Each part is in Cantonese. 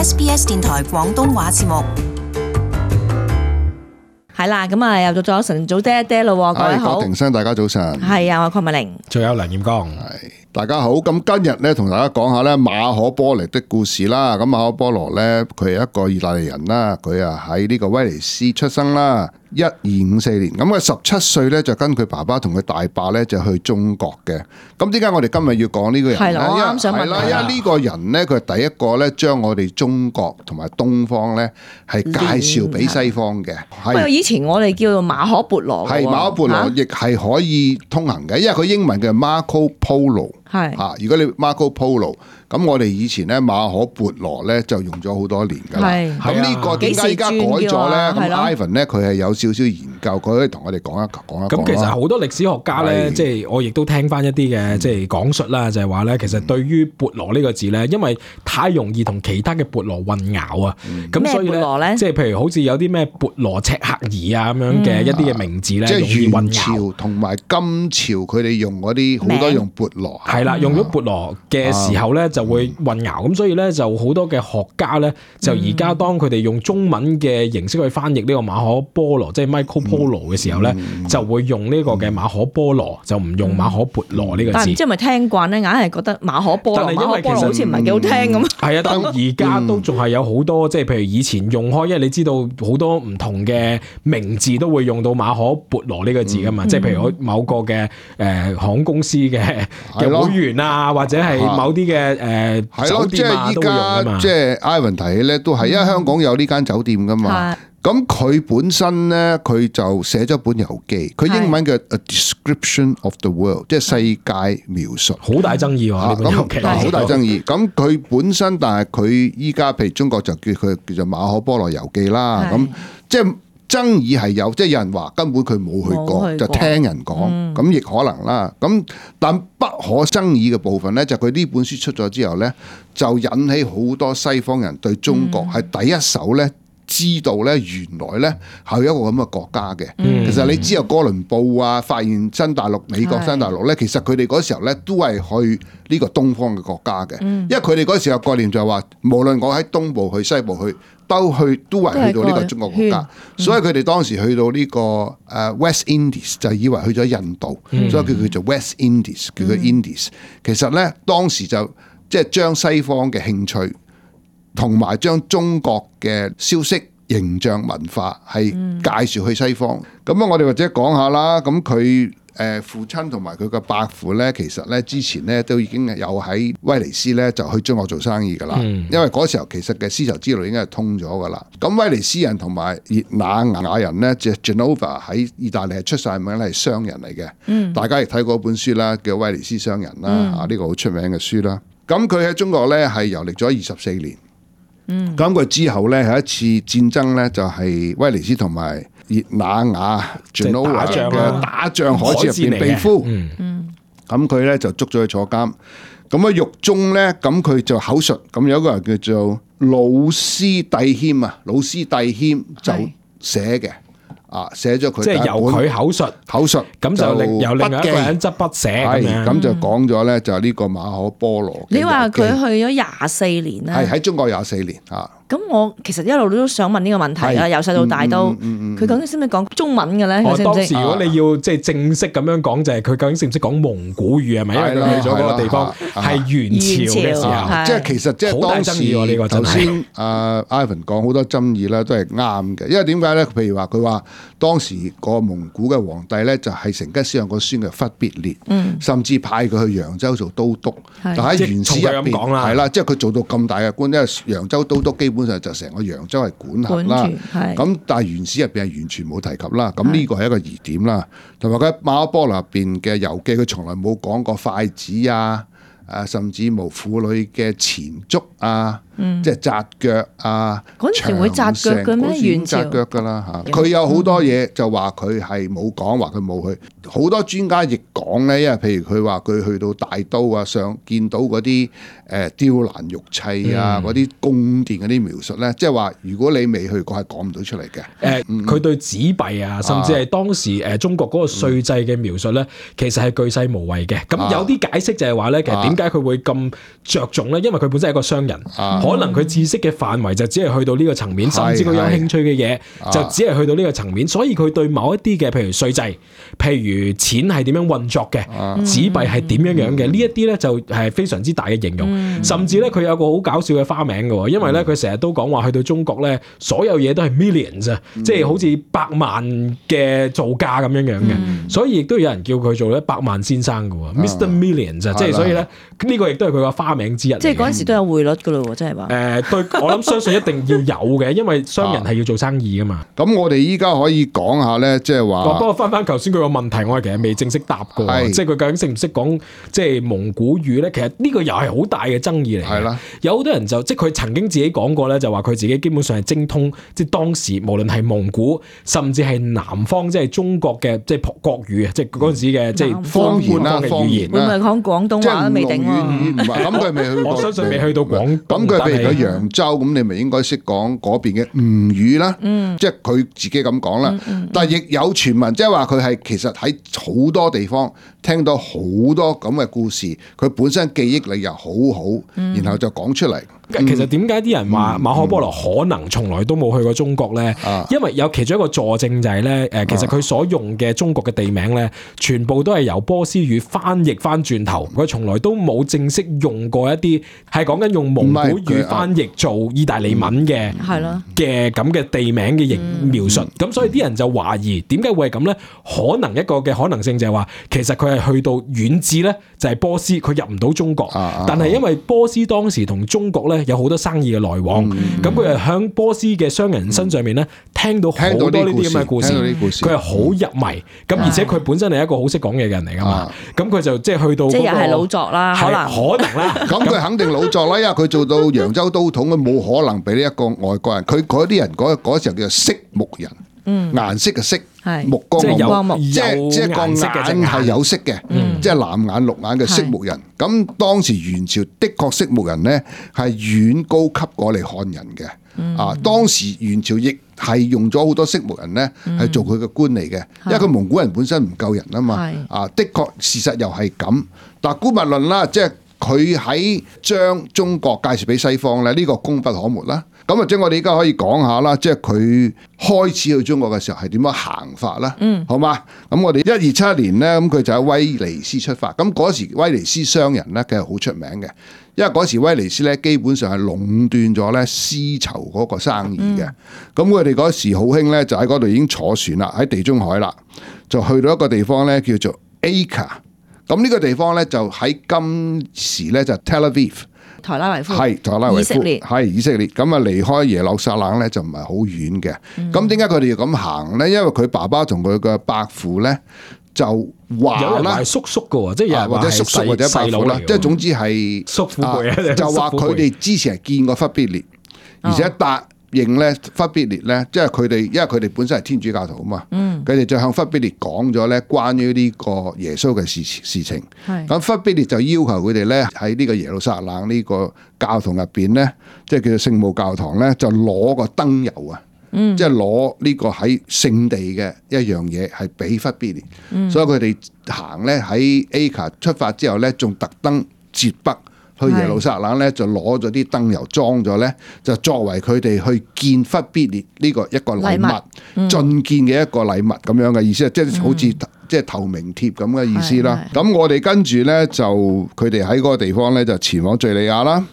SBS 電台廣東話節目。係啦，咁啊又到咗晨早爹爹咯，各位好。郭庭生，大家早晨。係啊，我鄺美玲。仲有梁彥剛。大家好。咁今日咧同大家講下咧馬可波羅的故事啦。咁馬可波羅咧，佢係一個意大利人啦，佢啊喺呢個威尼斯出生啦。1254年，咁佢17歲咧就跟佢爸爸同佢大伯咧就去中國嘅。咁點解我哋今日要講呢個人咧？係啦，我啱想問。因為呢個人咧，佢係第一個咧將我哋中國同埋東方咧係介紹俾西方嘅。不過以前我哋叫做馬可孛羅。係馬可孛羅，亦係可以通行嘅，因為佢英文叫 Marco Polo。係嚇，如果你 Marco Polo，咁我哋以前咧馬可孛羅咧就用咗好多年㗎啦。咁呢個點解而家改咗咧？咁 Ivan 咧佢係有少少研究，佢可以同我哋講一講。咁其實好多歷史學家咧，即係我亦都聽翻一啲嘅即係講述啦，就係話咧，其實對於孛羅呢個字咧，因為太容易同其他嘅孛羅混淆啊。咁所以咧，即係譬如好似有啲咩孛羅赤克兒啊咁樣嘅一啲嘅名字咧，即係元容易混淆。朝同埋金朝佢哋用嗰啲好多用孛羅。係啦，用咗孛羅嘅時候咧就會混淆，咁所以咧就好多嘅學家咧就而家當佢哋用中文嘅形式去翻譯呢個馬可波羅，即係 Michael Polo 嘅時候咧，就會用呢個嘅馬可波羅，就唔用馬可孛羅呢個字。但係唔知係咪聽慣咧，硬係覺得馬可波羅，但係因為其實好似唔係幾好聽咁。係啊，但而家都仲係有好多，即係譬如以前用開，因為你知道好多唔同嘅名字都會用到馬可孛羅呢個字噶嘛，即係譬如某個嘅航空公司嘅會員啊，或者係某啲嘅酒店啊都會用噶嘛。即係 Ivan 提起咧，都係因為香港有呢間酒店噶嘛。咁佢本身咧，佢就寫咗本遊記，佢英文嘅 A Description of the World， 即係世界描述，好大爭議喎呢本遊記，好大爭議。咁佢本身，但係佢依家譬如中國就叫佢叫做馬可波羅遊記啦。咁即係爭議係有，即係有人話根本佢冇去過，就聽人講，咁亦可能啦。咁但不可爭議嘅部分咧，就佢呢本書出咗之後咧，就引起好多西方人對中國係第一手咧。知道咧，原來咧係一個咁嘅國家嘅。其實你知有哥倫布啊，發現新大陸、美國新大陸咧，其實佢哋嗰時候咧都係去呢個東方嘅國家嘅。因為佢哋嗰時候概念就係話，無論我喺東部去、西部去，都係去到呢個中國國家。所以佢哋當時去到呢個West Indies 就以為去咗印度，所以叫做 West Indies， 叫佢 Indies。其實咧當時就即係將西方嘅興趣，同埋將中國嘅消息、形象、文化係介紹去西方。咁我哋或者講下啦。咁佢父親同埋佢嘅伯父咧，其實咧之前咧都已經有喺威尼斯咧就去中國做生意噶啦。因為嗰時候其實嘅絲綢之路已經係通咗噶啦。咁威尼斯人同埋熱那亞人咧，即係 Genova 喺意大利係出晒名咧，係商人嚟嘅。大家亦睇過一本書啦，叫《威尼斯商人》啦。呢個好出名嘅書啦。咁佢喺中國咧係遊歷咗24年。咁佢之後咧係一次戰爭咧，就係威尼斯同埋熱那亞 Genoa 嘅打仗海戰入邊被俘。咁佢咧就捉咗去坐監。咁喺獄中咧，咁佢就口述。咁有一個人叫做魯斯蒂謙啊，魯斯蒂謙就寫嘅。寫咗佢，即係由佢口述，咁就由另外一個人執筆寫咁就講咗咧，就係呢個馬可波羅。你話佢去咗24年啦，係喺中國24年啊。咁我其實一路都想問呢個問題啦，由細到大都，佢究竟識唔識講中文嘅咧？當時如果你要即係正式咁樣講，就係佢究竟識唔識講蒙古語係咪？因為佢去咗嗰個地方係元朝嘅時候，即係其實即係當時頭先Ivan 講好多爭議啦，都係啱嘅。因為點解咧？譬如話佢話當時個蒙古嘅皇帝咧，就係成吉思汗個孫嘅忽必烈，甚至派佢去揚州做都督。但喺元史入邊係啦，即係佢做到咁大嘅官，因為揚州都督基本上就成個揚州係管轄啦。咁但係元史入邊係完全冇提及啦。咁呢個係一個疑點啦。同埋佢馬可波羅入邊嘅遊記，佢從來冇講過筷子啊。甚至無婦女嘅前足啊，即係紮腳啊，嗰陣時會紮腳嘅咩？元朝紮腳㗎啦嚇，佢有好多嘢就話佢係冇講，話佢冇去。好多專家亦講咧，因為譬如佢話佢去到大都啊，上見到嗰啲雕欄玉砌啊，嗰啲宮殿嗰啲描述咧，即係話如果你未去過係講唔到出嚟嘅。佢對紙幣啊，甚至係當時中國嗰個稅制嘅描述咧，其實係巨細無遺嘅。咁有啲解釋就係話咧，其實點解佢會咁着重咧？因為佢本身係一個商人，可能佢知識嘅範圍就只係去到呢個層面，甚至佢有興趣嘅嘢就只係去到呢個層面，所以佢對某一啲嘅譬如稅制，譬如錢係點樣運作嘅，紙幣係點樣樣嘅，呢一啲咧就係非常之大嘅形容。甚至咧佢有個好搞笑嘅花名嘅，因為咧佢成日都講話去到中國咧，所有嘢都係 millions 啊，即係好似百萬嘅造價咁樣樣嘅，所以亦都有人叫佢做咧百萬先生嘅，Mr. Millions 啊，即係所以咧呢個亦都係佢個花名之一。即係嗰陣時都有匯率嘅咯，即係話。對，我諗相信一定要有嘅，因為商人係要做生意噶嘛。咁我哋依家可以講下咧，即係話。不過翻頭先佢個問題，我係其實未正式答過，即係佢究竟識唔識講即係蒙古語咧？其實呢個又係好大嘅爭議嚟嘅。係啦，有好多人就即係佢曾經自己講過咧，就話佢自己基本上係精通即係當時無論係蒙古，甚至係南方即係中國嘅即係國語啊，即係嗰陣時嘅即係方言啦，語言會唔會講廣東話都未定喎？咁佢未去過，我相信未去到廣東。咁佢譬如去揚州，咁你咪應該識講嗰邊嘅吳語啦。即係佢自己咁講啦。但係亦有傳聞，即係話佢係其實喺好多地方聽到好多咁嘅故事，佢本身記憶力又好好，然後就講出嚟。其實點解啲人話馬可波羅可能從來都冇去過中國咧？因為有其中一個佐證就係咧，其實佢所用嘅中國嘅地名咧，全部都係由波斯語翻譯翻轉頭，佢從來都冇正式用過一啲係講緊用蒙古語翻譯做意大利文嘅嘅咁嘅地名嘅描述。咁所以啲人就懷疑點解會係咁咧？可能一個嘅可能性就係話，其實佢係去到遠至咧，就係波斯，佢入唔到中國。但係因為波斯當時同中國咧有好多生意嘅來往，咁佢係響波斯嘅商人身上面咧聽到好多呢啲咁嘅故事，佢係好入迷，咁而且佢本身係一個好識講嘢嘅人嚟噶嘛，咁佢就即係去到即係又係老作啦，可能啦，咁佢肯定老作啦，因為佢做到揚州都統，佢冇可能俾呢一個外國人，佢嗰啲人嗰時候叫做色目人。顏色嘅色，目光嘅目，即係個眼係有色嘅，即係藍眼綠眼嘅色目人。咁當時元朝的確色目人咧係遠高級過嚟漢人嘅。當時元朝亦係用咗好多色目人咧係做佢嘅官嚟嘅，因為佢蒙古人本身唔夠人啊嘛。的確事實又係咁。但姑勿論啦，即係佢喺將中國介紹俾西方咧，呢個功不可沒啦。咁或者我哋而家可以講下啦，即係佢開始去中國嘅時候係點樣行法啦？好嘛？咁我哋1271年咧，咁佢就喺威尼斯出發。咁嗰時威尼斯商人咧，佢係好出名嘅，因為嗰時威尼斯咧基本上係壟斷咗咧絲綢嗰個生意嘅。咁佢哋嗰時好興咧，就喺嗰度已經坐船啦，喺地中海啦，就去到一個地方咧叫做 Acre。咁呢個地方咧就喺今時咧就 Tel Aviv。台拉維夫係台拉維夫，以色列係以色列。咁啊離開耶路撒冷咧就唔係好遠嘅。咁點解佢哋要咁行咧？因為佢爸爸同佢嘅伯父咧就話啦，係叔叔嘅，即係或者叔叔或者伯父啦，即係總之係叔父輩就話佢哋之前係見過忽必烈，而且答應咧忽必烈咧，即係佢哋，因為佢哋本身係天主教徒啊嘛，佢哋就向忽必烈講咗咧關於呢個耶穌嘅事情。咁忽必烈就要求佢哋咧喺呢個耶路撒冷呢個教堂入邊咧，即係叫做聖母教堂咧，就攞個燈油啊，即係攞呢個喺聖地嘅一樣嘢係俾忽必烈。所以佢哋行咧喺 Acre 出發之後咧，仲特登截北。去耶路撒冷咧，就攞咗啲燈油裝咗咧，就作為佢哋去見忽必烈呢個一個禮物，進見嘅一個禮物咁樣嘅意思，即係好似即係投名帖咁嘅意思啦。咁我哋跟住咧就佢哋喺嗰個地方咧就前往敍利亞啦，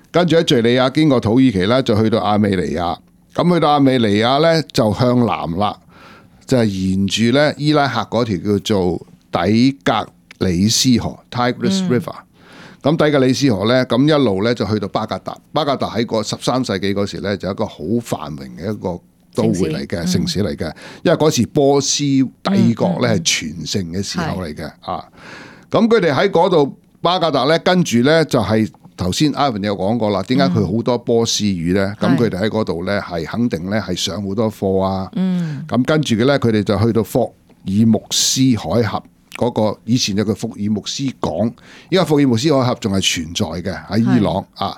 跟住喺敍利亞經過土耳其啦，就去到亞美尼亞。咁去到亞美尼亞咧就向南啦，就係沿住咧伊拉克嗰條叫做底格里斯河 （Tigris River）。咁底格里斯河咧，咁一路咧就去到巴格達。巴格達喺個13世紀嗰時咧，就一個好繁榮嘅一個都會嚟嘅城市嚟嘅。因為嗰時波斯帝國咧係全盛嘅時候嚟嘅啊。咁佢哋喺嗰度巴格達咧，跟住咧就係頭先 Ivan 有講過啦。點解佢好多波斯語咧？咁佢哋喺嗰度咧係肯定咧係上好多課啊。咁跟住嘅咧，佢哋就去到爾木斯海峽嗰個，以前有個福爾摩斯港，依家福爾摩斯海峽仲係存在嘅喺伊朗啊。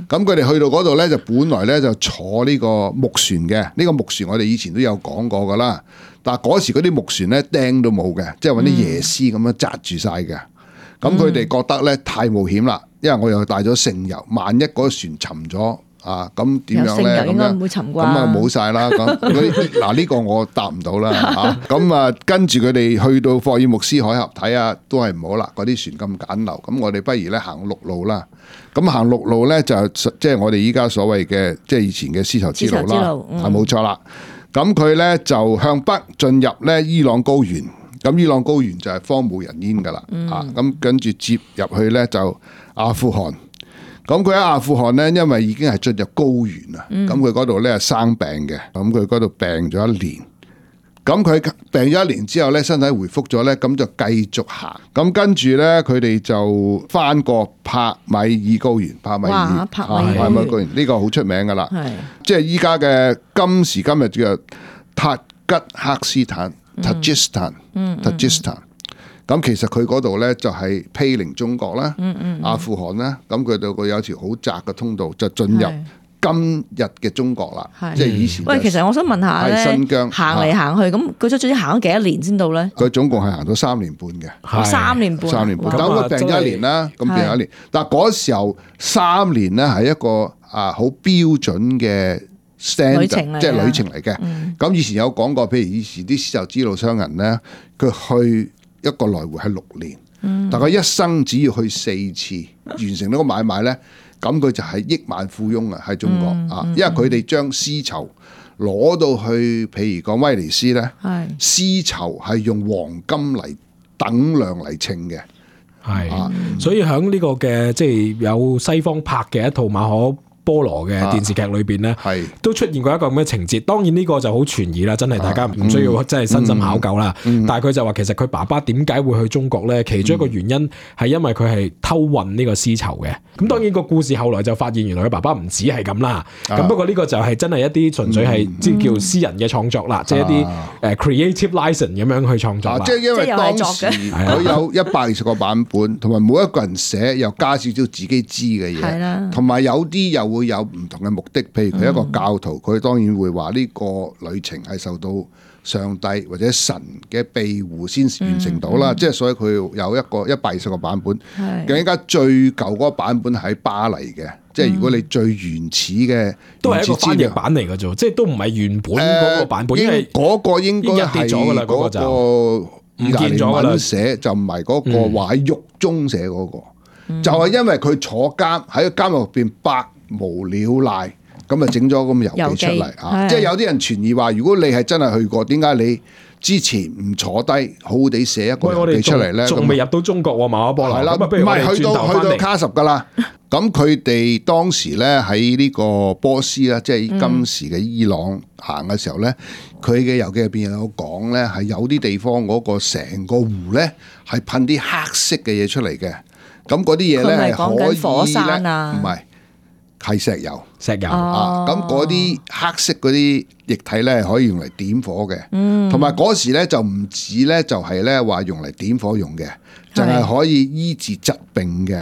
咁佢哋去到嗰度咧，就本來咧就坐呢個木船嘅，呢個木船我哋以前都有講過噶啦。但係嗰時嗰啲木船咧釘都冇嘅，即係揾啲椰絲咁樣紮住晒嘅。咁佢哋覺得咧太冒險啦，因為我又帶咗聖油，萬一嗰個船沉咗。啊，咁點樣咧？咁啊冇晒啦。咁嗱呢個我答唔到啦嚇。咁啊跟住佢哋去到霍爾木斯海峽睇下，都係唔好啦。嗰啲船咁簡陋，咁我哋不如咧行陸路啦。咁行陸路咧就即係我哋依家所謂嘅即係以前嘅絲綢之路啦，係冇錯啦。咁佢咧就向北進入咧伊朗高原。咁伊朗高原就係荒無人煙噶啦。啊，咁跟住接入去咧就阿富汗。咁佢喺阿富汗咧，因為已經係進入高原啦，咁佢嗰度咧係生病嘅，咁佢嗰度病咗一年，咁佢病咗一年之後咧，身體回復咗咧，咁就繼續行，咁跟住咧佢哋就翻過帕米爾高原，帕米爾高原呢個好出名噶啦，即係依家嘅今時今日叫塔吉克斯坦 Tajikistan。咁其實佢嗰度咧就係毗鄰中國啦，阿富汗啦，咁佢度有條好窄嘅通道就進入今日嘅中國啦，即係以前。喂，其實我想問下咧，新疆行嚟行去，咁佢總之行咗幾多年先到咧？佢總共係行咗3年半嘅，3年半。但佢病咗一年啦，咁病咗一年。但係嗰時候3年咧係一個好標準嘅 standard，即係旅程嚟嘅。咁以前有講過，譬如以前啲絲綢之路商人咧，佢去一個來回係6年，但佢一生只要去4次完成呢個買賣咧，咁佢就係億萬富翁啊！喺中國啊，因為佢哋將絲綢攞到去，譬如講威尼斯咧，絲綢係用黃金嚟等量嚟稱嘅，所以喺呢個嘅即係有西方拍嘅一套馬可波羅嘅電視劇裏邊咧，都出現過一個咁嘅情節。當然呢個就好傳疑啦，真係大家唔需要真係身心考究啦。但係佢就話其實佢爸爸點解會去中國咧？其中一個原因係因為佢係偷運呢個絲綢嘅。咁當然個故事後來就發現原來佢爸爸唔止係咁啦。咁不過呢個就係真係一啲純粹係即係叫私人嘅創作啦，即係一啲creative license 咁樣去創作。即係因為當時佢有120個版本，同埋每一個人寫又加少少自己知嘅嘢，同埋有啲又會有唔同嘅目的，譬如佢一個教徒，佢當然會話呢個旅程係受到上帝或者神嘅庇護先完成到啦。即係所以佢有一個120個版本。更加最舊嗰個版本喺巴黎嘅，即係如果你最原始嘅都係一個翻譯版嚟嘅啫，即係都唔係原本嗰個版本。因為嗰個應該係嗰個唔見咗啦，寫就唔係嗰個話喺獄中寫嗰個，就係因為佢坐監喺個監獄入邊百無聊賴，咁啊整咗咁遊記出嚟啊！即係有啲人傳疑話，如果你係真係去過，點解你之前唔坐低好好地寫一個遊記出嚟咧？仲未入到中國喎，馬可波羅。係啦，唔係去到卡什噶啦。咁佢哋當時咧喺呢個波斯啦，即係今時嘅伊朗行嘅時候咧，佢嘅遊記入邊有講咧，係有啲地方嗰個成個湖咧係噴啲黑色嘅嘢出嚟嘅。咁嗰啲嘢咧係可以火山唔係。係石油啊！咁嗰啲黑色嗰啲液體咧，可以用嚟點火嘅。同埋嗰時咧就唔止咧，就係咧話用嚟點火用嘅，就係可以醫治疾病嘅。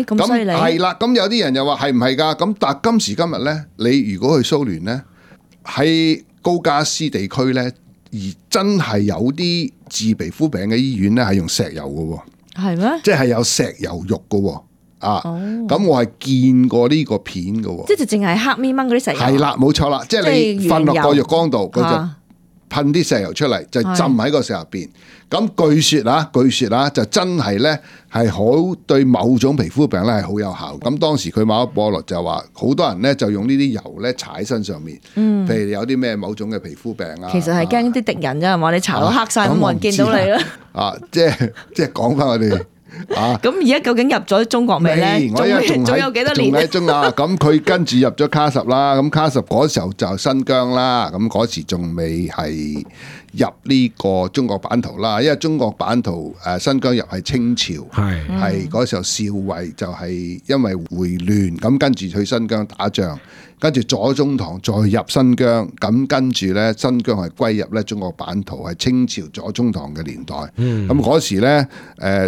咁犀利係啦。咁有啲人又話係唔係㗎？咁但係今時今日咧，你如果去蘇聯咧，喺高加斯地區咧，而真係有啲治皮膚病嘅醫院咧，係用石油嘅喎。係咩？即係有石油浴嘅喎。咁我係見過呢個片嘅喎，即係淨係黑咪掹嗰啲石油。係啦，冇錯啦，即係你瞓落個浴缸度，佢就噴啲石油出嚟，就浸喺個石入邊。咁據說啊，就真係咧係好對某種皮膚病咧係好有效。咁當時佢馬可波羅就話，好多人咧就用呢啲油咧搽喺身上面，譬如有啲咩某種嘅皮膚病啊。其實係驚啲敵人啫，係嘛？你搽到黑晒，咁冇人見到你啦。即係講翻我哋咁而家究竟入咗中國未咧？仲有幾多年？仲喺中亞，咁佢跟住入咗卡什啦。咁卡什嗰時候就新疆啦。咁嗰時仲未係入呢個中國版圖啦。因為中國版圖新疆入係清朝，係嗰時候少尉就係因為回亂，咁跟住去新疆打仗。跟住左宗棠再入新疆，咁跟住咧新疆係歸入咧中國版圖，係清朝左宗棠嘅年代。咁嗰時咧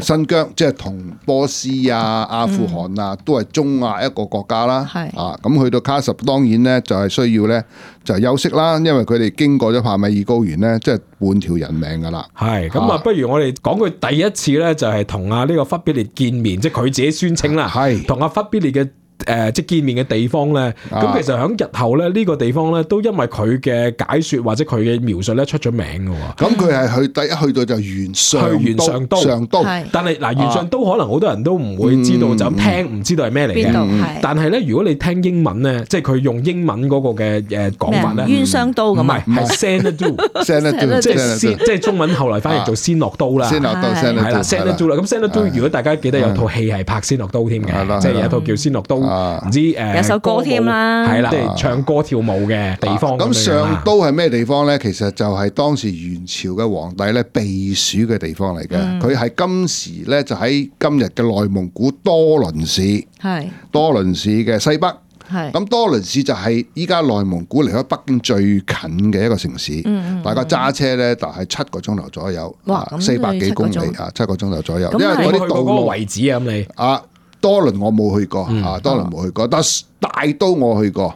新疆即係同波斯啊、阿富汗啊都係中亞一個國家啦。咁去到卡什當然咧就係需要咧就係休息啦，因為佢哋經過咗帕米爾高原咧，即係半條人命噶啦。係咁啊，不如我哋講佢第一次咧就係同呢個忽必烈見面，即係佢自己宣稱啦，同忽必烈嘅。即係見面嘅地方咧，咁其實喺日後咧呢個地方咧都因為佢嘅解說或者佢嘅描述咧出咗名嘅喎。咁佢係第一去到就元上都，但係嗱元上都可能好多人都唔會知道，就咁聽唔知道係咩嚟嘅。但係咧如果你聽英文咧，即係佢用英文嗰個嘅講法咧，冤雙刀咁啊，唔係 Xanadu， 即係中文後來翻譯做仙諾刀啦。仙諾刀係啦 Xanadu 啦。咁 Xanadu如果大家記得有套戲係拍仙諾刀添嘅，即係有一套叫仙諾刀。唔知有首歌添啦，係啦，即係唱歌跳舞嘅地方。咁上都係咩地方咧？其實就係當時元朝嘅皇帝咧避暑嘅地方嚟嘅。佢係今時咧就喺今日嘅內蒙古多倫市，多倫市嘅西北。咁多倫市就係依家內蒙古離開北京最近嘅一個城市。大家揸車咧就係7個鐘頭左右，400幾公里啊，7個鐘頭左右。因為嗰啲道路位置啊，咁你多倫我冇去過，多倫冇去過，但大都我去過。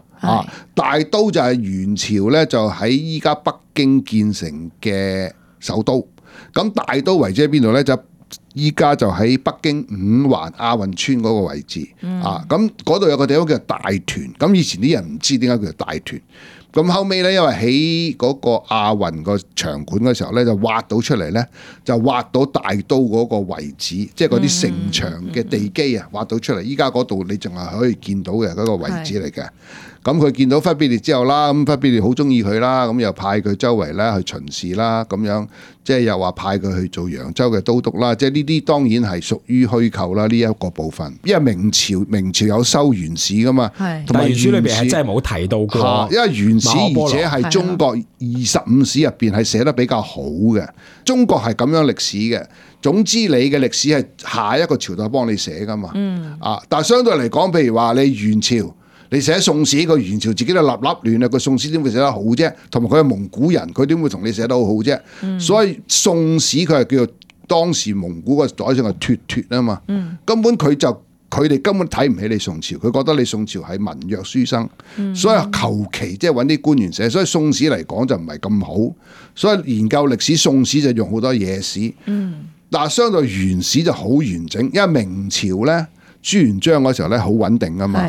大都就係元朝咧，就喺依家北京建成嘅首都。咁大都位置喺邊度咧？就依家就喺北京五環亞運村嗰個位置。咁嗰度有個地方叫大屯。咁以前啲人唔知點解叫做大屯。咁後尾咧，因為喺嗰個亞運個場館嘅時候咧，就挖到出嚟咧，就挖到大都嗰個位置，即係嗰啲城牆嘅地基啊，挖到出嚟。依家嗰度你仲係可以見到嘅嗰個位置嚟嘅。咁佢見到忽必烈之後啦，咁忽必烈好中意佢啦，咁又派佢周圍咧去巡視啦，咁樣即係又話派佢去做揚州嘅都督啦。即係呢啲當然係屬於虛構啦，呢一個部分。因為明朝有收元史噶嘛，同埋元史裏邊係真係冇提到過。因為元史而且係中國25史入邊係寫得比較好嘅。中國係咁樣歷史嘅。總之你嘅歷史係下一個朝代幫你寫噶嘛。但係相對嚟講，譬如話你元朝。你寫宋史，個元朝自己都立亂啊！個宋史點會寫得好啫？同埋佢係蒙古人，佢點會同你寫得好好啫？所以宋史佢係叫做當時蒙古個宰相係脱啊嘛。根本佢哋根本睇唔起你宋朝，佢覺得你宋朝係文弱書生，所以求其即係揾啲官員寫。所以宋史嚟講就唔係咁好。所以研究歷史，宋史就用好多野史。但係相對元史就好完整，因為明朝咧。朱元璋嗰時候咧好穩定啊嘛，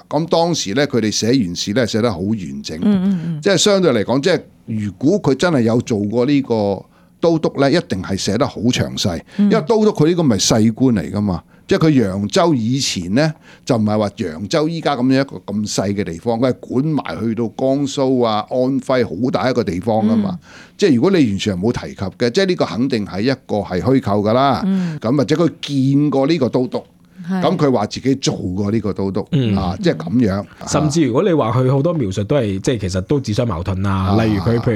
咁當時咧佢哋寫元史咧寫得好完整，即係相對嚟講，即係如果佢真係有做過呢個都督咧，一定係寫得好詳細，因為都督佢呢個咪細官嚟噶嘛，即係佢揚州以前咧就唔係話揚州依家咁樣一個咁細嘅地方，佢係管埋去到江蘇啊、安徽好大一個地方噶嘛，即係如果你完全係冇提及嘅，即係呢個肯定係一個係虛構噶啦，咁或者佢見過呢個都督。咁佢話自己做過呢個都督，即係咁樣。甚至如果你話佢好多描述都係即係其實都自相矛盾啊。例如佢譬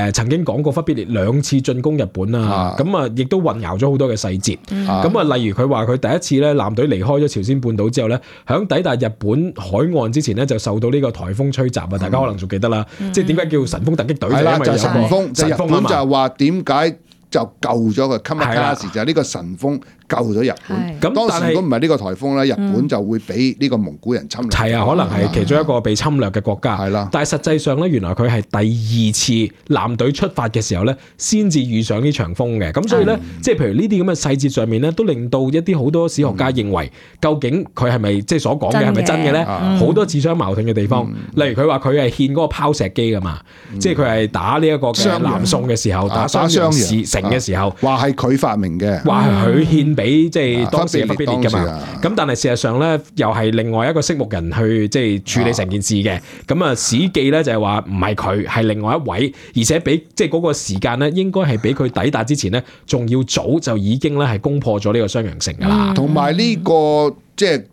如曾經講過忽必烈2次進攻日本啊，咁啊亦都混淆咗好多嘅細節。咁例如佢話佢第一次咧艦隊離開咗朝鮮半島之後咧，響抵達日本海岸之前咧就受到呢個颱風吹襲啊！大家可能仲記得啦，即係點解叫神風突擊隊？係啦，就係神風。就日本就係話點解就救咗佢？今日嗰時就係呢個神風。救咗日本，咁當時如果唔係呢個颱風咧，日本就會俾呢個蒙古人侵略。係啊，可能係其中一個被侵略嘅國家。係啦，但係實際上咧，原來佢係第2次艦隊出發嘅時候咧，先至遇上呢場風嘅。咁所以咧，即係譬如呢啲咁嘅細節上面咧，都令到一啲好多史學家認為，究竟佢係咪即係所講嘅係咪真嘅咧？好多自相矛盾嘅地方。例如佢話佢係獻嗰個拋石機㗎嘛，即係佢係打呢一個嘅南宋嘅時候，打襄陽市城嘅時候，話係佢發明嘅，話係佢獻俾即係當時嘅忽必烈㗎嘛。咁但係事實上咧，又係另外一個色目人去即係處理成件事嘅。咁啊，史記咧就係話唔係佢，係另外一位，而且比即係嗰個時間咧，應該係比佢抵達之前咧，仲要早就已經咧係攻破咗呢個襄陽城㗎啦。同埋呢個即係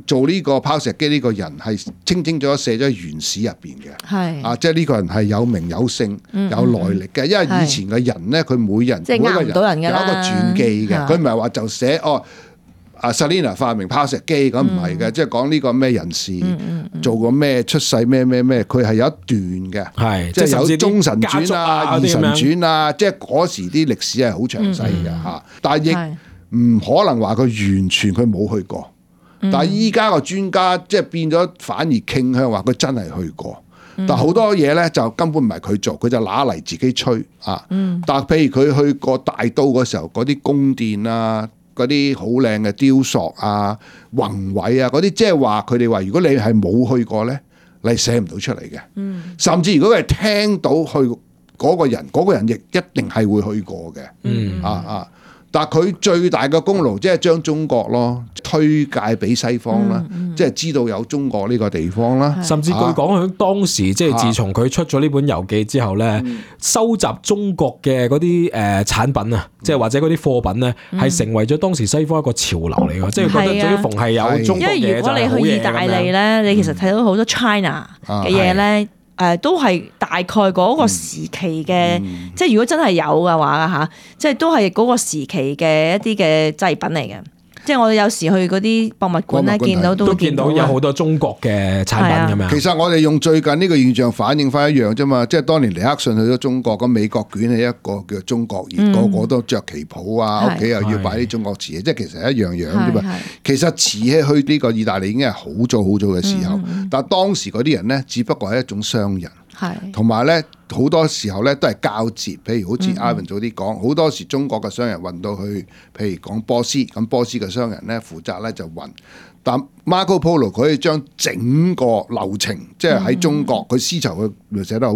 做呢個拋石機呢個人係清楚寫咗喺原史入邊嘅，係啊，即係呢個人係有名有姓、有來歷嘅，因為以前嘅人咧，佢每人即係呃唔到人㗎啦，有一個傳記嘅，佢唔係話就寫Selina 發明拋石機咁，唔係嘅，即係講呢個咩人士做過咩出世咩，佢係有一段嘅，係即係有《忠臣傳》啊、《二臣傳》啊，即係嗰時啲歷史係好詳細嘅嚇，但係亦唔可能話佢完全佢冇去過。但係依家個專家即係變咗，反而傾向話佢真係去過。但好多嘢咧就根本唔係佢做，佢就拿嚟自己吹啊。但係譬如佢去過大都嗰時候，嗰啲宮殿啊，嗰啲好靚嘅雕塑啊、宏偉啊嗰啲，即係話佢哋話，如果你係冇去過咧，你寫唔到出嚟嘅。甚至如果佢係聽到去嗰個人亦一定係會去過嘅。但係佢最大嘅功勞，即係將中國咯推介俾西方啦，即係知道有中國呢個地方啦。甚至據講喺當時，即係自從佢出咗呢本遊記之後咧，收集中國嘅嗰啲產品啊，即係或者嗰啲貨品咧，係成為咗當時西方一個潮流嚟㗎。即係覺得最逢係有中國嘢就係好嘢咁樣。因為如果你去意大利咧，你其實睇到好多 China 嘅嘢咧。都係大概嗰個時期嘅，即係如果真係有嘅話嚇，即係都係嗰個時期嘅一啲嘅製品嚟嘅。即係我哋有時去嗰啲博物館咧，都見到有好多中國嘅產品咁樣。其實我哋用最近呢個現象反映翻一樣啫嘛，即係當年尼克遜去咗中國，咁美國捲起一個叫中國熱，個個都着旗袍啊，屋企又要擺啲中國瓷器，即係其實係一樣樣啫嘛。其實瓷器去呢個意大利已經係好早嘅時候，但係當時嗰啲人咧，只不過係一種商人。同埋咧，好多時候咧都係交接，譬如好似 Ivan 早啲講，好多時中國嘅商人運到去，譬如講波斯，咁波斯嘅商人咧負責咧就運，但 Marco Polo 佢可以將整個流程，即係喺中國佢絲綢佢寫得好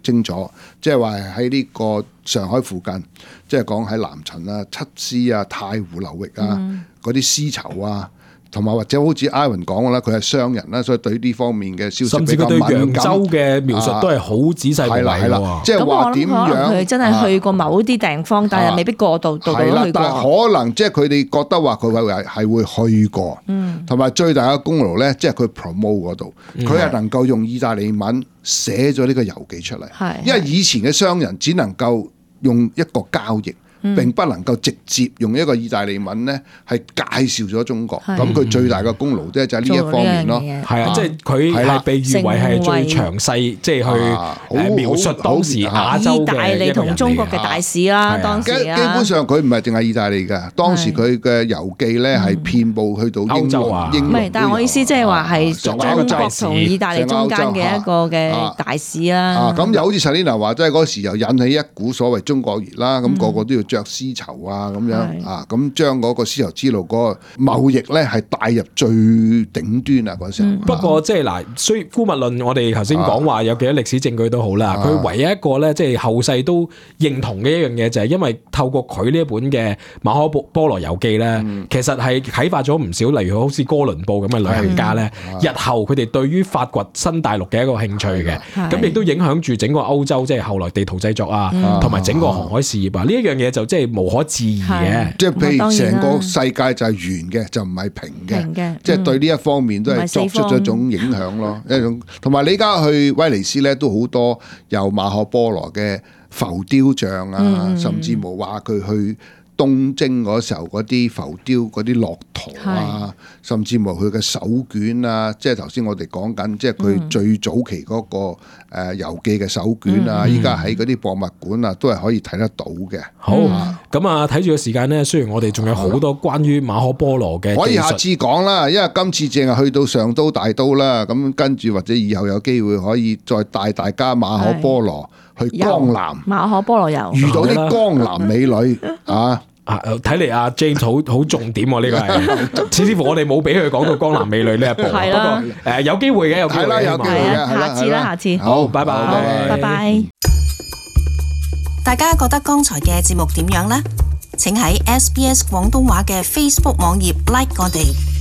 清楚，即係話喺呢個上海附近，即係講喺南陳啊、七師啊、太湖流域啊嗰啲絲綢啊。同埋或者好似 Ivan 講嘅啦，佢係商人啦，所以對呢方面嘅消息比較敏感。甚至佢對揚州嘅描述都係好仔細嘅。係啦，即係話點樣？佢真係去過某啲地方，但係未必過度去過。係啦，但係可能即係佢哋覺得話佢係會去過。同埋最大嘅功勞咧，即係佢 promote 嗰度，佢係能夠用意大利文寫咗呢個遊記出嚟。因為以前嘅商人只能夠用一個交易。並不能夠直接用一個意大利文咧，係介紹咗中國。咁佢最大嘅功勞咧就係呢一方面咯。係啊，即係佢係被譽為係最詳細，即係去描述當時亞洲嘅意大利同中國嘅大使啦。當時基本上佢唔係淨係意大利㗎，當時佢嘅遊記咧係遍佈去到歐洲啊。唔係，但係我意思即係話係中國同意大利中間嘅一個嘅大使啦。咁又好似 Selina 話，即係嗰時又引起一股所謂中國熱啦，咁個個都要着絲綢啊咁樣啊，咁將嗰個絲綢之路嗰個貿易咧係帶入最頂端啊嗰時候。不過即係嗱，雖然姑勿論我哋頭先講話有幾多歷史證據都好啦，佢唯一一個咧即係後世都認同嘅一樣嘢就係因為透過佢呢一本嘅馬可波羅遊記咧，其實係啟發咗唔少，例如好似哥倫布咁嘅旅行家咧，日後佢哋對於發掘新大陸嘅一個興趣嘅，咁亦都影響住整個歐洲，即係後來地圖製作啊，同埋整個航海事業啊，呢一樣嘢就即係無可置疑嘅。即係譬如成個世界就係圓嘅，就唔係平嘅，即係對呢一方面都係作出咗一種影響咯，一種。同埋你而家去威尼斯咧，都好多有馬可波羅嘅浮雕像啊，甚至冇話佢去東征嗰時候嗰啲浮雕嗰啲駱駝啊，甚至乎佢嘅手卷啊，即係頭先我哋講緊，即係佢最早期嗰個遊記嘅手卷啊，依家喺嗰啲博物館啊，都係可以睇得到嘅。好，咁啊睇住個時間咧，雖然我哋仲有好多關於馬可波羅嘅，可以下次講啦，因為今次淨係去到上都大都啦，咁跟住或者以後有機會可以再帶大家馬可波羅去江南，馬可波羅遊遇到啲江南美女啊！睇嚟阿 James 好重點喎，呢個係，似乎我哋冇俾佢講到江南美女呢一步。係啦，不過有機會嘅，有機會嘅，有機會嘅，下次啦，下次。好，拜拜，拜拜。大家覺得剛才嘅節目點樣呢？請喺SBS 廣東話嘅 Facebook 網頁 like 我哋。